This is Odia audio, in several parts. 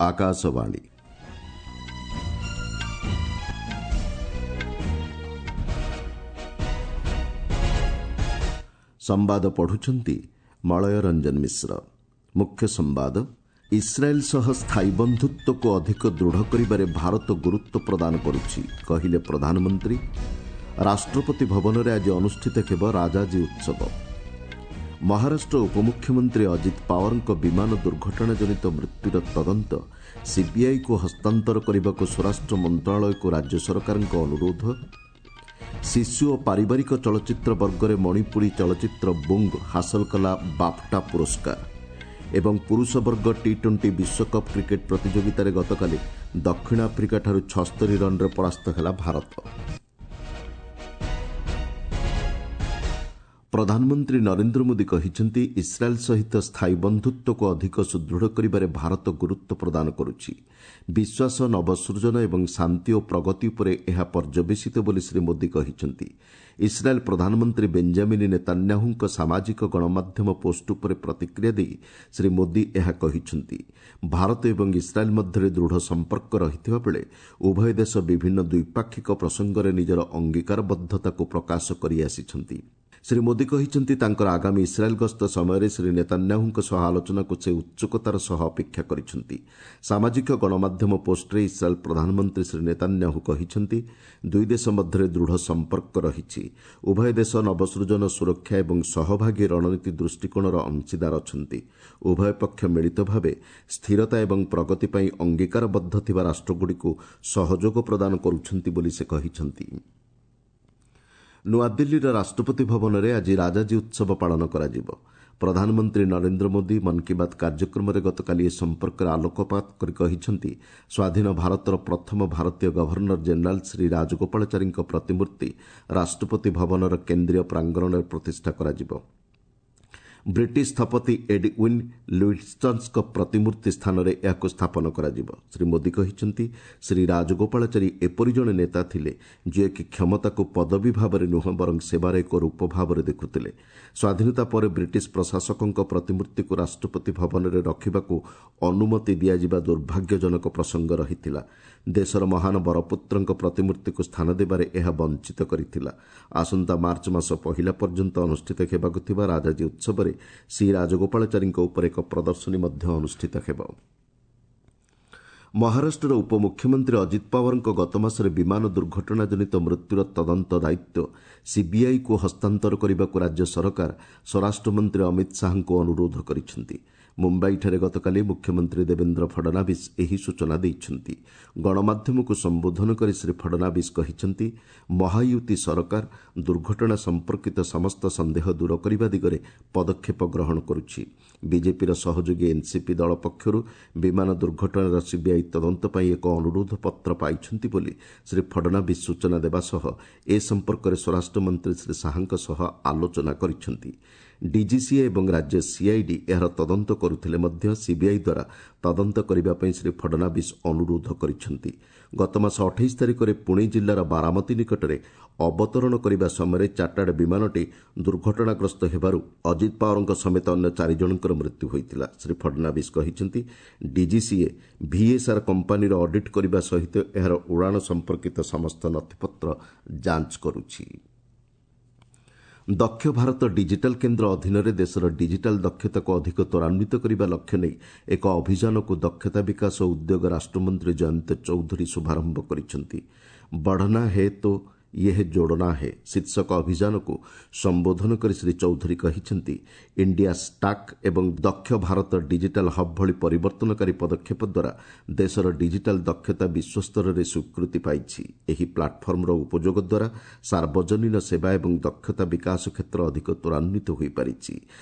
ଆକାଶବାଣୀ। ସମ୍ବାଦ ପଢୁଛନ୍ତି ମଳୟ ରଞ୍ଜନ ମିଶ୍ର। ମୁଖ୍ୟ ସମ୍ବାଦ। ଇସ୍ରାଏଲ୍ ସହ ସ୍ଥାୟୀ ବନ୍ଧୁତ୍ୱକୁ ଅଧିକ ଦୃଢ଼ କରିବାରେ ଭାରତ ଗୁରୁତ୍ୱ ପ୍ରଦାନ କରୁଛି, କହିଲେ ପ୍ରଧାନମନ୍ତ୍ରୀ। ରାଷ୍ଟ୍ରପତି ଭବନରେ ଆଜି ଅନୁଷ୍ଠିତ ହେବ ରାଜାଜୀ ଉତ୍ସବ। ମହାରାଷ୍ଟ୍ର ଉପମୁଖ୍ୟମନ୍ତ୍ରୀ ଅଜିତ ପାୱାରଙ୍କ ବିମାନ ଦୁର୍ଘଟଣାଜନିତ ମୃତ୍ୟୁର ତଦନ୍ତ ସିବିଆଇକୁ ହସ୍ତାନ୍ତର କରିବାକୁ ସ୍ୱରାଷ୍ଟ୍ର ମନ୍ତ୍ରଣାଳୟକୁ ରାଜ୍ୟ ସରକାରଙ୍କ ଅନୁରୋଧ। ଶିଶୁ ଓ ପାରିବାରିକ ଚଳଚ୍ଚିତ୍ର ବର୍ଗରେ ମଣିପୁରୀ ଚଳଚ୍ଚିତ୍ର ବୁଙ୍ଗ ହାସଲ କଲା ବାଫ୍ଟା ପୁରସ୍କାର। ଏବଂ ପୁରୁଷ ବର୍ଗ ଟି 20 ବିଶ୍ୱକପ୍ କ୍ରିକେଟ୍ ପ୍ରତିଯୋଗିତାରେ ଗତକାଲି ଦକ୍ଷିଣ ଆଫ୍ରିକାଠାରୁ 76 ରନ୍ରେ ପରାସ୍ତ ହେଲା ଭାରତ। ପ୍ରଧାନମନ୍ତ୍ରୀ ନରେନ୍ଦ୍ର ମୋଦି କହିଛନ୍ତି, ଇସ୍ରାଏଲ୍ ସହିତ ସ୍ଥାୟୀ ବନ୍ଧୁତ୍ୱକୁ ଅଧିକ ସୁଦୃଢ଼ କରିବାରେ ଭାରତ ଗୁରୁତ୍ୱ ପ୍ରଦାନ କରୁଛି। ବିଶ୍ୱାସ, ନବସୃଜନ ଏବଂ ଶାନ୍ତି ଓ ପ୍ରଗତି ଉପରେ ଏହା ପର୍ଯ୍ୟବେସିତ ବୋଲି ଶ୍ରୀ ମୋଦି କହିଛନ୍ତି। ଇସ୍ରାଏଲ୍ ପ୍ରଧାନମନ୍ତ୍ରୀ ବେଞ୍ଜାମିନ୍ ନେତାନ୍ୟାହୁଙ୍କ ସାମାଜିକ ଗଣମାଧ୍ୟମ ପୋଷ୍ଟ ଉପରେ ପ୍ରତିକ୍ରିୟା ଦେଇ ଶ୍ରୀ ମୋଦି ଏହା କହିଛନ୍ତି। ଭାରତ ଏବଂ ଇସ୍ରାଏଲ୍ ମଧ୍ୟରେ ଦୃଢ଼ ସମ୍ପର୍କ ରହିଥିବା ବେଳେ ଉଭୟ ଦେଶ ବିଭିନ୍ନ ଦ୍ୱିପାକ୍ଷିକ ପ୍ରସଙ୍ଗରେ ନିଜର ଅଙ୍ଗୀକାରବଦ୍ଧତାକୁ ପ୍ରକାଶ କରିଆସିଛନ୍ତି। ଶ୍ରୀ ମୋଦି କହିଛନ୍ତି, ତାଙ୍କର ଆଗାମୀ ଇସ୍ରାଏଲ୍ ଗସ୍ତ ସମୟରେ ଶ୍ରୀ ନେତାନ୍ୟାହୁଙ୍କ ସହ ଆଲୋଚନାକୁ ସେ ଉତ୍ସୁକତାର ସହ ଅପେକ୍ଷା କରିଛନ୍ତି। ସାମାଜିକ ଗଣମାଧ୍ୟମ ପୋଷ୍ଟରେ ଇସ୍ରାଏଲ୍ ପ୍ରଧାନମନ୍ତ୍ରୀ ଶ୍ରୀ ନେତାନ୍ୟାହୁ କହିଛନ୍ତି, ଦୁଇ ଦେଶ ମଧ୍ୟରେ ଦୃଢ଼ ସମ୍ପର୍କ ରହିଛି। ଉଭୟ ଦେଶ ନବସୃଜନ, ସୁରକ୍ଷା ଏବଂ ସହଭାଗୀ ରଣନୀତି ଦୃଷ୍ଟିକୋଣର ଅଂଶୀଦାର ଅଛନ୍ତି। ଉଭୟ ପକ୍ଷ ମିଳିତ ଭାବେ ସ୍ଥିରତା ଏବଂ ପ୍ରଗତି ପାଇଁ ଅଙ୍ଗୀକାରବଦ୍ଧ ଥିବା ରାଷ୍ଟ୍ରଗୁଡ଼ିକୁ ସହଯୋଗ ପ୍ରଦାନ କରୁଛନ୍ତି ବୋଲି ସେ କହିଛନ୍ତି। ନୂଆଦିଲ୍ଲୀର ରାଷ୍ଟ୍ରପତି ଭବନରେ ଆଜି ରାଜାଜୀ ଉତ୍ସବ ପାଳନ କରାଯିବ। ପ୍ରଧାନମନ୍ତ୍ରୀ ନରେନ୍ଦ୍ର ମୋଦି ମନ୍ କି ବାତ୍ କାର୍ଯ୍ୟକ୍ରମରେ ଗତକାଲି ଏ ସମ୍ପର୍କରେ ଆଲୋକପାତ କରି କହିଛନ୍ତି, ସ୍ୱାଧୀନ ଭାରତର ପ୍ରଥମ ଭାରତୀୟ ଗଭର୍ଣ୍ଣର ଜେନେରାଲ୍ ଶ୍ରୀ ରାଜଗୋପାଳାଚାରୀଙ୍କ ପ୍ରତିମୂର୍ତ୍ତି ରାଷ୍ଟ୍ରପତି ଭବନର କେନ୍ଦ୍ରୀୟ ପ୍ରାଙ୍ଗଣରେ ପ୍ରତିଷ୍ଠା କରାଯିବ। ବ୍ରିଟିଶ ସ୍ଥପତି ଏଡ୍ୱିନ୍ ଲୁଇଟ୍ସନ୍ଙ୍କ ପ୍ରତିମୂର୍ତ୍ତି ସ୍ଥାନରେ ଏହାକୁ ସ୍ଥାପନ କରାଯିବ। ଶ୍ରୀ ମୋଦି କହିଛନ୍ତି, ଶ୍ରୀ ରାଜଗୋପାଳାଚାରୀ ଏପରି ଜଣେ ନେତା ଥିଲେ ଯିଏକି କ୍ଷମତାକୁ ପଦବୀ ଭାବରେ ନୁହେଁ, ବରଂ ସେବାର ଏକ ରୂପ ଭାବରେ ଦେଖୁଥିଲେ। ସ୍ୱାଧୀନତା ପରେ ବ୍ରିଟିଶ ପ୍ରଶାସକଙ୍କ ପ୍ରତିମୂର୍ତ୍ତିକୁ ରାଷ୍ଟ୍ରପତି ଭବନରେ ରଖିବାକୁ ଅନୁମତି ଦିଆଯିବା ଦୁର୍ଭାଗ୍ୟଜନକ ପ୍ରସଙ୍ଗ ରହିଥିଲା। ଦେଶର ମହାନ ବରପୁତ୍ରଙ୍କ ପ୍ରତିମୂର୍ତ୍ତିକୁ ସ୍ଥାନ ଦେବାରେ ଏହା ବଞ୍ଚିତ କରିଥିଲା। ଆସନ୍ତା ମାର୍ଚ୍ଚ ମାସ ପହିଲା ପର୍ଯ୍ୟନ୍ତ ଅନୁଷ୍ଠିତ ହେବାକୁ ଥିବା ରାଜାଜୀ ଉତ୍ସବରେ ସି ରାଜଗୋପାଳାଚାରୀଙ୍କ ଉପରେ ଏକ ପ୍ରଦର୍ଶନୀ ମଧ୍ୟ ଅନୁଷ୍ଠିତ ହେବ। ମହାରାଷ୍ଟ୍ରର ଉପମୁଖ୍ୟମନ୍ତ୍ରୀ ଅଜିତ ପାୱାରଙ୍କ ଗତମାସରେ ବିମାନ ଦୁର୍ଘଟଣାଜନିତ ମୃତ୍ୟୁର ତଦନ୍ତ ଦାୟିତ୍ୱ ସିବିଆଇକୁ ହସ୍ତାନ୍ତର କରିବାକୁ ରାଜ୍ୟ ସରକାର ସ୍ୱରାଷ୍ଟ୍ରମନ୍ତ୍ରୀ ଅମିତ ଶାହାଙ୍କୁ ଅନୁରୋଧ କରିଛନ୍ତି। ମୁମ୍ବାଇଠାରେ ଗତକାଲି ମୁଖ୍ୟମନ୍ତ୍ରୀ ଦେବେନ୍ଦ୍ର ଫଡନାଭିସ୍ ଏହି ସୂଚନା ଦେଇଛନ୍ତି। ଗଣମାଧ୍ୟମକୁ ସମ୍ବୋଧନ କରି ଶ୍ରୀ ଫଡନାଭିସ୍ କହିଛନ୍ତି, ମହାୟୁତି ସରକାର ଦୁର୍ଘଟଣା ସମ୍ପର୍କିତ ସମସ୍ତ ସନ୍ଦେହ ଦୂର କରିବା ଦିଗରେ ପଦକ୍ଷେପ ଗ୍ରହଣ କରୁଛି। ବିଜେପିର ସହଯୋଗୀ ଏନ୍ସିପି ଦଳ ପକ୍ଷରୁ ବିମାନ ଦୁର୍ଘଟଣାର ସିବିଆଇ ତଦନ୍ତ ପାଇଁ ଏକ ଅନୁରୋଧ ପତ୍ର ପାଇଛନ୍ତି ବୋଲି ଶ୍ରୀ ଫଡନାଭିସ୍ ସୂଚନା ଦେବା ସହ ଏ ସମ୍ପର୍କରେ ସ୍ୱରାଷ୍ଟ୍ରମନ୍ତ୍ରୀ ଶ୍ରୀ ଶାହାଙ୍କ ସହ ଆଲୋଚନା କରିଛନ୍ତି। ଡିଜିସିଏ ଏବଂ ରାଜ୍ୟ ସିଆଇଡି ଏହାର ତଦନ୍ତ କରୁଥିଲେ ମଧ୍ୟ ସିବିଆଇ ଦ୍ୱାରା ତଦନ୍ତ କରିବା ପାଇଁ ଶ୍ରୀ ଫଡନାଭିସ୍ ଅନୁରୋଧ କରିଛନ୍ତି। ଗତମାସ 28 ତାରିଖରେ ପୁଣେ ଜିଲ୍ଲାର ବାରାମତୀ ନିକଟରେ ଅବତରଣ କରିବା ସମୟରେ ଚାର୍ଟାର୍ଡ ବିମାନଟି ଦୁର୍ଘଟଣାଗ୍ରସ୍ତ ହେବାରୁ ଅଜିତ ପାୱାରଙ୍କ ସମେତ ଅନ୍ୟ 4 ଜଣଙ୍କର ମୃତ୍ୟୁ ହୋଇଥିଲା। ଶ୍ରୀ ଫଡନାଭିସ୍ କହିଛନ୍ତି, ଡିଜିସିଏ ଭିଏସ୍ଆର୍ କମ୍ପାନୀର ଅଡିଟ୍ କରିବା ସହିତ ଏହାର ଉଡ଼ାଣ ସମ୍ପର୍କିତ ସମସ୍ତ ନଥିପତ୍ର ଯାଞ୍ଚ କରୁଛି। ଦକ୍ଷ ଭାରତ ଡିଜିଟାଲ୍ କେନ୍ଦ୍ର ଅଧୀନରେ ଦେଶର ଡିଜିଟାଲ୍ ଦକ୍ଷତାକୁ ଅଧିକ ତ୍ୱରାନ୍ୱିତ କରିବା ଲକ୍ଷ୍ୟ ନେଇ ଏକ ଅଭିଯାନକୁ ଦକ୍ଷତା ବିକାଶ ଓ ଉଦ୍ୟୋଗ ରାଷ୍ଟ୍ରମନ୍ତ୍ରୀ ଜୟନ୍ତ ଚୌଧୁରୀ ଶୁଭାରମ୍ଭ କରିଛନ୍ତି। ବଢ଼ନା ହେ ତୋ ୟେହ ଯୋଡ଼ନା ହେ ଶୀର୍ଷକ ଅଭିଯାନକୁ ସମ୍ବୋଧନ କରି ଶ୍ରୀ ଚୌଧୁରୀ କହିଛନ୍ତି, ଇଣ୍ଡିଆ ଷ୍ଟାକ୍ ଏବଂ ଦକ୍ଷ ଭାରତ ଡିଜିଟାଲ୍ ହବ୍ ଭଳି ପରିବର୍ତ୍ତନକାରୀ ପଦକ୍ଷେପ ଦ୍ୱାରା ଦେଶର ଡିଜିଟାଲ୍ ଦକ୍ଷତା ବିଶ୍ୱସ୍ତରରେ ସ୍ୱୀକୃତି ପାଇଛି। ଏହି ପ୍ଲାଟଫର୍ମର ଉପଯୋଗ ଦ୍ୱାରା ସାର୍ବଜନୀନ ସେବା ଏବଂ ଦକ୍ଷତା ବିକାଶ କ୍ଷେତ୍ର ଅଧିକ ତ୍ୱରାନ୍ୱିତ ହୋଇପାରିଛି।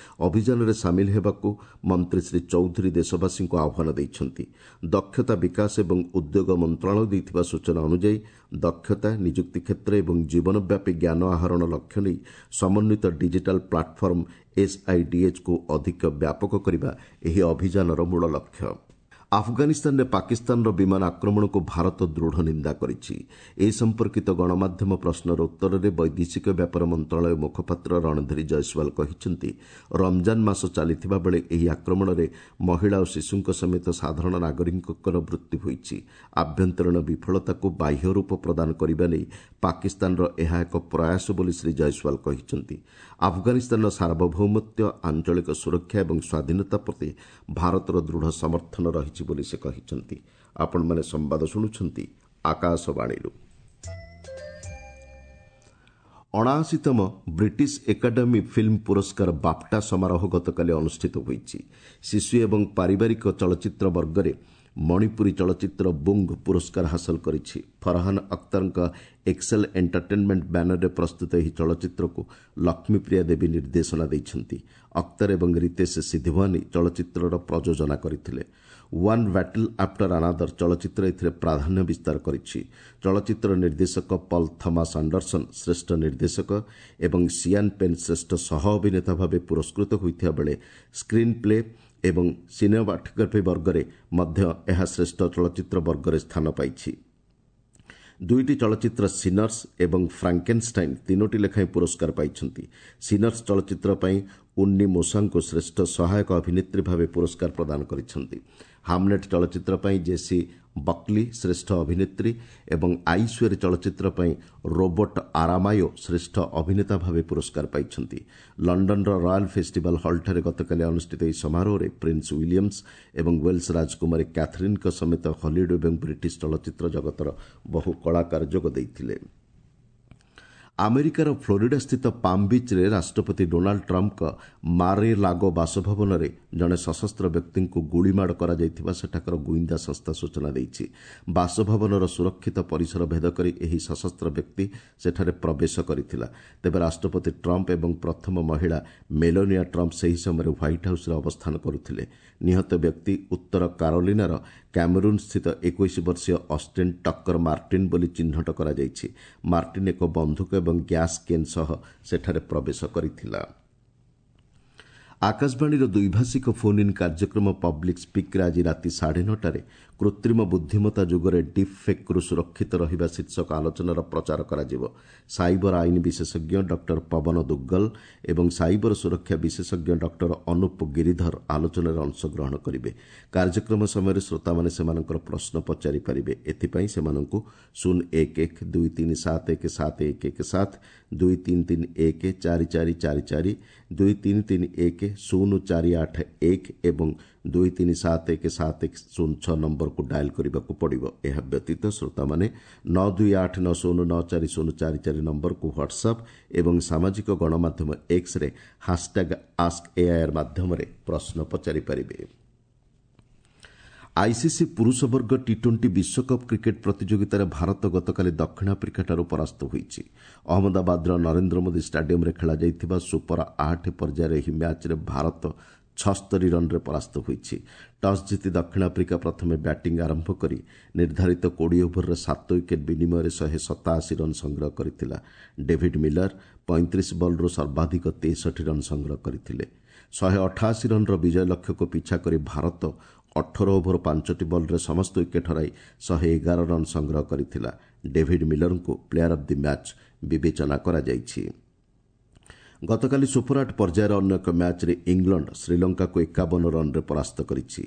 ଅଭିଯାନରେ ସାମିଲ ହେବାକୁ ମନ୍ତ୍ରୀ ଶ୍ରୀ ଚୌଧୁରୀ ଦେଶବାସୀଙ୍କୁ ଆହ୍ୱାନ ଦେଇଛନ୍ତି। ଦକ୍ଷତା ବିକାଶ ଏବଂ ଉଦ୍ୟୋଗ ମନ୍ତ୍ରଣାଳୟ ଦେଇଥିବା ସୂଚନା ଅନୁଯାୟୀ ଦକ୍ଷତା, ନିଯୁକ୍ତି କ୍ଷେତ୍ର ଏବଂ ଜୀବନବ୍ୟାପୀ ଜ୍ଞାନ ଆହରଣ ଲକ୍ଷ୍ୟ ନେଇ ସମନ୍ୱିତ ଡିଜିଟାଲ୍ ପ୍ଲାଟଫର୍ମ ଏସ୍ଆଇଡିଏଚ୍କୁ ଅଧିକ ବ୍ୟାପକ କରିବା ଏହି ଅଭିଯାନର ମୂଳ ଲକ୍ଷ୍ୟ। ଆଫଗାନିସ୍ତାନରେ ପାକିସ୍ତାନର ବିମାନ ଆକ୍ରମଣକୁ ଭାରତ ଦୃଢ଼ ନିନ୍ଦା କରିଛି। ଏ ସମ୍ପର୍କିତ ଗଣମାଧ୍ୟମ ପ୍ରଶ୍ନର ଉତ୍ତରରେ ବୈଦେଶିକ ବ୍ୟାପାର ମନ୍ତ୍ରଣାଳୟ ମୁଖପାତ୍ର ରଣଧୀର ଜୟସ୍ୱାଲ କହିଛନ୍ତି, ରମଜାନ ମାସ ଚାଲିଥିବା ବେଳେ ଏହି ଆକ୍ରମଣରେ ମହିଳା ଓ ଶିଶୁଙ୍କ ସମେତ ସାଧାରଣ ନାଗରିକଙ୍କର ମୃତ୍ୟୁ ହୋଇଛି। ଆଭ୍ୟନ୍ତରୀଣ ବିଫଳତାକୁ ବାହ୍ୟ ରୂପ ପ୍ରଦାନ କରିବା ନେଇ ପାକିସ୍ତାନର ଏହା ଏକ ପ୍ରୟାସ ବୋଲି ଶ୍ରୀ ଜୟସ୍ୱାଲ କହିଛନ୍ତି। ଆଫଗାନିସ୍ତାନର ସାର୍ବଭୌମତ୍ୱ, ଆଞ୍ଚଳିକ ସୁରକ୍ଷା ଏବଂ ସ୍ୱାଧୀନତା ପ୍ରତି ଭାରତର ଦୃଢ଼ ସମର୍ଥନ ରହିଛି ବୋଲି ସେ କହିଛନ୍ତି। ଆପଣମାନେ ସମ୍ବାଦ ଶୁଣୁଛନ୍ତି ଆକାଶବାଣୀରୁ। 79ତମ ବ୍ରିଟିଶ ଏକାଡେମୀ ଫିଲ୍ମ ପୁରସ୍କାର ବାଫ୍ଟା ସମାରୋହ ଗତକାଲି ଅନୁଷ୍ଠିତ ହୋଇଛି। ଶିଶୁ ଏବଂ ପାରିବାରିକ ଚଳଚ୍ଚିତ୍ର ବର୍ଗରେ ମଣିପୁରୀ ଚଳଚ୍ଚିତ୍ର ବୁଙ୍ଗ ପୁରସ୍କାର ହାସଲ କରିଛି। ଫରହାନ ଅଖତରଙ୍କ ଏକ୍ସେଲ୍ ଏଣ୍ଟରଟେନମେଣ୍ଟ ବ୍ୟାନରରେ ପ୍ରସ୍ତୁତ ଏହି ଚଳଚ୍ଚିତ୍ରକୁ ଲକ୍ଷ୍ମୀପ୍ରିୟା ଦେବୀ ନିର୍ଦ୍ଦେଶନା ଦେଇଛନ୍ତି। ଅଖତର ଏବଂ ରିତେଶ ସିଧୱାନୀ ଚଳଚ୍ଚିତ୍ରର ପ୍ରଯୋଜନା କରିଥିଲେ। ୱାନ୍ ବ୍ୟାଟଲ୍ ଆଫ୍ଟର ଆନାଦର ଚଳଚ୍ଚିତ୍ର ଏଥିରେ ପ୍ରାଧାନ୍ୟ ବିସ୍ତାର କରିଛି। ଚଳଚ୍ଚିତ୍ର ନିର୍ଦ୍ଦେଶକ ପଲ୍ ଥମାସ୍ ଆଣ୍ଡରସନ୍ ଶ୍ରେଷ୍ଠ ନିର୍ଦ୍ଦେଶକ ଏବଂ ସିଆନ୍ ପେନ୍ ଶ୍ରେଷ୍ଠ ସହ ଅଭିନେତା ଭାବେ ପୁରସ୍କୃତ ହୋଇଥିବା ବେଳେ ସ୍କ୍ରିନ୍ ପ୍ଲେ ଏବଂ ସିନେମାଟୋଗ୍ରାଫି ବର୍ଗରେ ମଧ୍ୟ ଏହା ଶ୍ରେଷ୍ଠ ଚଳଚ୍ଚିତ୍ର ବର୍ଗରେ ସ୍ଥାନ ପାଇଛି। ଦୁଇଟି ଚଳଚ୍ଚିତ୍ର ସିନର୍ସ ଏବଂ ଫ୍ରାଙ୍କେନଷ୍ଟାଇନ୍ 3ଟି ଲେଖାଏଁ ପୁରସ୍କାର ପାଇଛନ୍ତି। ସିନର୍ସ ଚଳଚ୍ଚିତ୍ର ପାଇଁ ଉନ୍ନି ମୋସାଙ୍କୁ ଶ୍ରେଷ୍ଠ ସହାୟକ ଅଭିନେତ୍ରୀ ଭାବେ ପୁରସ୍କାର ପ୍ରଦାନ କରିଛନ୍ତି। ହାମନେଟ୍ ଚଳଚ୍ଚିତ୍ର ପାଇଁ ଜେସି ବକ୍ଲି ଶ୍ରେଷ୍ଠ ଅଭିନେତ୍ରୀ ଏବଂ ଆଇସ୍ୱେର୍ ଚଳଚ୍ଚିତ୍ର ପାଇଁ ରୋବର୍ଟ ଆରାମାୟୋ ଶ୍ରେଷ୍ଠ ଅଭିନେତା ଭାବେ ପୁରସ୍କାର ପାଇଛନ୍ତି। ଲଣ୍ଡନର ରୟାଲ୍ ଫେଷ୍ଟିଭାଲ୍ ହଲ୍ଠାରେ ଗତକାଲି ଅନୁଷ୍ଠିତ ଏହି ସମାରୋହରେ ପ୍ରିନ୍ସ ୱିଲିୟମ୍ସ ଏବଂ ୱେଲ୍ସ ରାଜକୁମାରୀ କ୍ୟାଥରିନ୍ଙ୍କ ସମେତ ହଲିଉଡ୍ ଏବଂ ବ୍ରିଟିଶ ଚଳଚ୍ଚିତ୍ର ଜଗତର ବହୁ କଳାକାର ଯୋଗ ଦେଇଥିଲେ। ଆମେରିକାର ଫ୍ଲୋରିଡାସ୍ଥିତ ପାମ୍ ବିଚ୍ରେ ରାଷ୍ଟ୍ରପତି ଡୋନାଲ୍ଡ ଟ୍ରମ୍ପଙ୍କ ମାରେ ଲାଗୋ ବାସଭବନରେ ଜଣେ ସଶସ୍ତ୍ର ବ୍ୟକ୍ତିଙ୍କୁ ଗୁଳିମାଡ଼ କରାଯାଇଥିବା ସେଠାକାର ଗୁଇନ୍ଦା ସଂସ୍ଥା ସୂଚନା ଦେଇଛି। ବାସଭବନର ସୁରକ୍ଷିତ ପରିସର ଭେଦ କରି ଏହି ସଶସ୍ତ୍ର ବ୍ୟକ୍ତି ସେଠାରେ ପ୍ରବେଶ କରିଥିଲା। ତେବେ ରାଷ୍ଟ୍ରପତି ଟ୍ରମ୍ପ ଏବଂ ପ୍ରଥମ ମହିଳା ମେଲୋନିଆ ଟ୍ରମ୍ପ ସେହି ସମୟରେ ହ୍ୱାଇଟ୍ ହାଉସ୍ରେ ଅବସ୍ଥାନ କରୁଥିଲେ। ନିହତ ବ୍ୟକ୍ତି ଉତ୍ତର କାରୋଲିନାର କ୍ୟାମେରୁନ୍ସ୍ଥିତ 21 ବର୍ଷୀୟ ଅଷ୍ଟିନ୍ ଟକ୍କର ମାର୍ଟିନ୍ ବୋଲି ଚିହ୍ନଟ କରାଯାଇଛି। ମାର୍ଟିନ୍ ଏକ ବନ୍ଧୁକ ଏବଂ ଗ୍ୟାସ୍ କେନ୍ ସହ ସେଠାରେ ପ୍ରବେଶ କରିଥିଲା। ଆକାଶବାଣୀର ଦ୍ୱିଭାଷିକ ଫୋନ୍ ଇନ୍ କାର୍ଯ୍ୟକ୍ରମ ପବ୍ଲିକ୍ ସ୍ପିକ୍ରେ ଆଜି ରାତି 9:30ରେ କୃତ୍ରିମ ବୁଦ୍ଧିମତ୍ତା ଯୁଗରେ ଡିପ୍ ଫେକ୍ରୁ ସୁରକ୍ଷିତ ରହିବା ଶୀର୍ଷକ ଆଲୋଚନାର ପ୍ରଚାର କରାଯିବ। ସାଇବର ଆଇନ ବିଶେଷଜ୍ଞ ଡକ୍ଟର ପବନ ଦୁଗ୍ଗଲ ଏବଂ ସାଇବର ସୁରକ୍ଷା ବିଶେଷଜ୍ଞ ଡକ୍ଟର ଅନୁପ ଗିରିଧର ଆଲୋଚନାରେ ଅଂଶଗ୍ରହଣ କରିବେ। କାର୍ଯ୍ୟକ୍ରମ ସମୟରେ ଶ୍ରୋତାମାନେ ସେମାନଙ୍କର ପ୍ରଶ୍ନ ପଚାରିପାରିବେ। ଏଥିପାଇଁ ସେମାନଙ୍କୁ 0 1 1 2 3 7 1 7 1 1 7, 2 3 3 1 4 4 4 4, 2 3 3 1 0 4 8 1 ଏବଂ 2 3 7 1 7 1 0 6 ନମ୍ବରକୁ ଡାଏଲ୍ କରିବାକୁ ପଡ଼ିବ। ଏହା ବ୍ୟତୀତ ଶ୍ରୋତାମାନେ 9 2 8 9 0 9 4 0 4 4 ନମ୍ବରକୁ ହ୍ୱାଟ୍ସଆପ୍ ଏବଂ ସାମାଜିକ ଗଣମାଧ୍ୟମ ଏକ୍ସରେ ହାସ୍ଟ୍ୟାଗ୍ ଆସ୍କ ଏଆଇଆର୍ ମାଧ୍ୟମରେ ପ୍ରଶ୍ନ ପଚାରିପାରିବେ। ଆଇସିସି ପୁରୁଷ ବର୍ଗ ଟି ଟ୍ୱେଣ୍ଟି ବିଶ୍ୱକପ୍ କ୍ରିକେଟ୍ ପ୍ରତିଯୋଗିତାରେ ଭାରତ ଗତକାଲି ଦକ୍ଷିଣ ଆଫ୍ରିକାଠାରୁ ପରାସ୍ତ ହୋଇଛି। ଅହମ୍ମଦାବାଦର ନରେନ୍ଦ୍ର ମୋଦି ଷ୍ଟାଡିୟମ୍ରେ ଖେଳାଯାଇଥିବା ସୁପର 8 ପର୍ଯ୍ୟାୟର ଏହି ମ୍ୟାଚ୍ରେ ଭାରତ 76 ରନ୍ରେ ପରାସ୍ତ ହୋଇଛି। ଟସ୍ ଜିତି ଦକ୍ଷିଣ ଆଫ୍ରିକା ପ୍ରଥମେ ବ୍ୟାଟିଂ ଆରମ୍ଭ କରି ନିର୍ଦ୍ଧାରିତ 20 ଓଭରରେ 7 ୱିକେଟ୍ ବିନିମୟରେ 187 ରନ୍ ସଂଗ୍ରହ କରିଥିଲା। ଡେଭିଡ୍ ମିଲର 35 ବଲ୍ରୁ ସର୍ବାଧିକ 63 ରନ୍ ସଂଗ୍ରହ କରିଥିଲେ। 188 ରନ୍ର ବିଜୟ ଲକ୍ଷ୍ୟକୁ ପିଛା କରି ଭାରତ 18 ଓଭର 5ଟି ବଲ୍ରେ ସମସ୍ତ ୱିକେଟ୍ ହରାଇ 111 ରନ୍ ସଂଗ୍ରହ କରିଥିଲା। ଡେଭିଡ୍ ମିଲରଙ୍କୁ ପ୍ଲେୟାର ଅଫ୍ the match ବିବେଚନା କରାଯାଇଛି। ଗତକାଲି ସୁପର 8 ପର୍ଯ୍ୟାୟର ଅନ୍ୟ ଏକ ମ୍ୟାଚ୍ରେ ଇଂଲଣ୍ଡ ଶ୍ରୀଲଙ୍କାକୁ 51 ରନ୍ରେ ପରାସ୍ତ କରିଛି।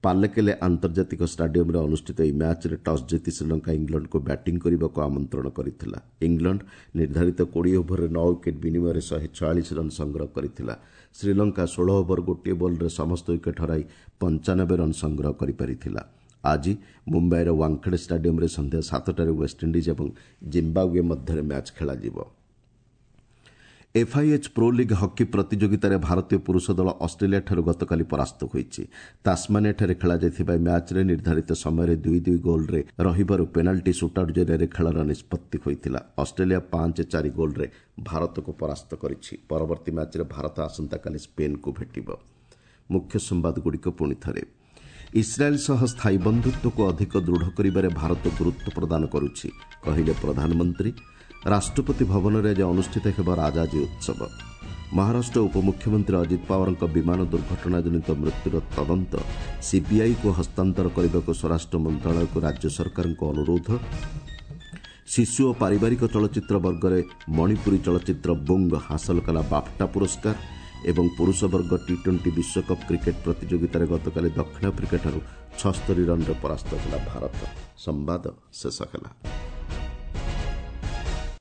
ପାଲେକେଲେ ଆନ୍ତର୍ଜାତିକ ଷ୍ଟାଡିୟମ୍ରେ ଅନୁଷ୍ଠିତ ଏହି ମ୍ୟାଚ୍ରେ ଟସ୍ ଜିତି ଶ୍ରୀଲଙ୍କା ଇଂଲଣ୍ଡକୁ ବ୍ୟାଟିଂ କରିବାକୁ ଆମନ୍ତ୍ରଣ କରିଥିଲା। ଇଂଲଣ୍ଡ ନିର୍ଦ୍ଧାରିତ 20 ଓଭରରେ 9 ୱିକେଟ୍ ବିନିମୟରେ 146 ରନ୍ ସଂଗ୍ରହ କରିଥିଲା। ଶ୍ରୀଲଙ୍କା 16 ଓଭର 1 ବଲ୍ରେ ସମସ୍ତ ୱିକେଟ୍ ହରାଇ 95 ରନ୍ ସଂଗ୍ରହ କରିପାରିଥିଲା। ଆଜି ମୁମ୍ବାଇର ୱାଙ୍ଗଖେଡେ ଷ୍ଟାଡିୟମ୍ରେ ସନ୍ଧ୍ୟା 7ଟାରେ ୱେଷ୍ଟଇଣ୍ଡିଜ୍ ଏବଂ ଜିମ୍ବାୱେ ମଧ୍ୟରେ ମ୍ୟାଚ୍ ଖେଳାଯିବ। ଏଫ୍ଆଇଏଚ୍ ପ୍ରୋ ଲିଗ୍ ହକି ପ୍ରତିଯୋଗିତାରେ ଭାରତୀୟ ପୁରୁଷ ଦଳ ଅଷ୍ଟ୍ରେଲିଆଠାରୁ ଗତକାଲି ପରାସ୍ତ ହୋଇଛି। ତାସମାନିଆଠାରେ ଖେଳାଯାଇଥିବା ଏହି ମ୍ୟାଚ୍ରେ ନିର୍ଦ୍ଧାରିତ ସମୟରେ 2-2 ଗୋଲ୍ରେ ରହିବାରୁ ପେନାଲ୍ଟି ସୁଟ୍ଆଉଟ୍ ଜରିଆରେ ଖେଳର ନିଷ୍ପତ୍ତି ହୋଇଥିଲା। ଅଷ୍ଟ୍ରେଲିଆ 5-4 ଗୋଲ୍ରେ ଭାରତକୁ ପରାସ୍ତ କରିଛି। ପରବର୍ତ୍ତୀ ମ୍ୟାଚ୍ରେ ଭାରତ ଆସନ୍ତାକାଲି ସ୍ପେନ୍କୁ ଭେଟିବ। ମୁଖ୍ୟ ସମ୍ବାଦଗୁଡ଼ିକ ପୁଣି ଥରେ। ଇସ୍ରାଏଲ୍ ସହ ସ୍ଥାୟୀ ବନ୍ଧୁତ୍ୱକୁ ଅଧିକ ଦୃଢ଼ କରିବାରେ ଭାରତ ଗୁରୁତ୍ୱ ପ୍ରଦାନ କରୁଛି, କହିଲେ ପ୍ରଧାନମନ୍ତ୍ରୀ। ରାଷ୍ଟ୍ରପତି ଭବନରେ ଆଜି ଅନୁଷ୍ଠିତ ହେବ ରାଜାଜୀ ଉତ୍ସବ। ମହାରାଷ୍ଟ୍ର ଉପମୁଖ୍ୟମନ୍ତ୍ରୀ ଅଜିତ ପାୱାରଙ୍କ ବିମାନ ଦୁର୍ଘଟଣାଜନିତ ମୃତ୍ୟୁର ତଦନ୍ତ ସିବିଆଇକୁ ହସ୍ତାନ୍ତର କରିବାକୁ ସ୍ୱରାଷ୍ଟ୍ର ମନ୍ତ୍ରଣାଳୟକୁ ରାଜ୍ୟ ସରକାରଙ୍କ ଅନୁରୋଧ। ଶିଶୁ ଓ ପାରିବାରିକ ଚଳଚ୍ଚିତ୍ର ବର୍ଗରେ ମଣିପୁରୀ ଚଳଚ୍ଚିତ୍ର ବୁଙ୍ଗ ହାସଲ କଲା ବାଫ୍ଟା ପୁରସ୍କାର। ଏବଂ ପୁରୁଷ ବର୍ଗ ଟି-20 ବିଶ୍ୱକପ୍ କ୍ରିକେଟ୍ ପ୍ରତିଯୋଗିତାରେ ଗତକାଲି ଦକ୍ଷିଣ ଆଫ୍ରିକାଠାରୁ 76 ରନ୍ରେ ପରାସ୍ତ ହେଲା ଭାରତ। ସମ୍ବାଦ ଶେଷ ହେଲା।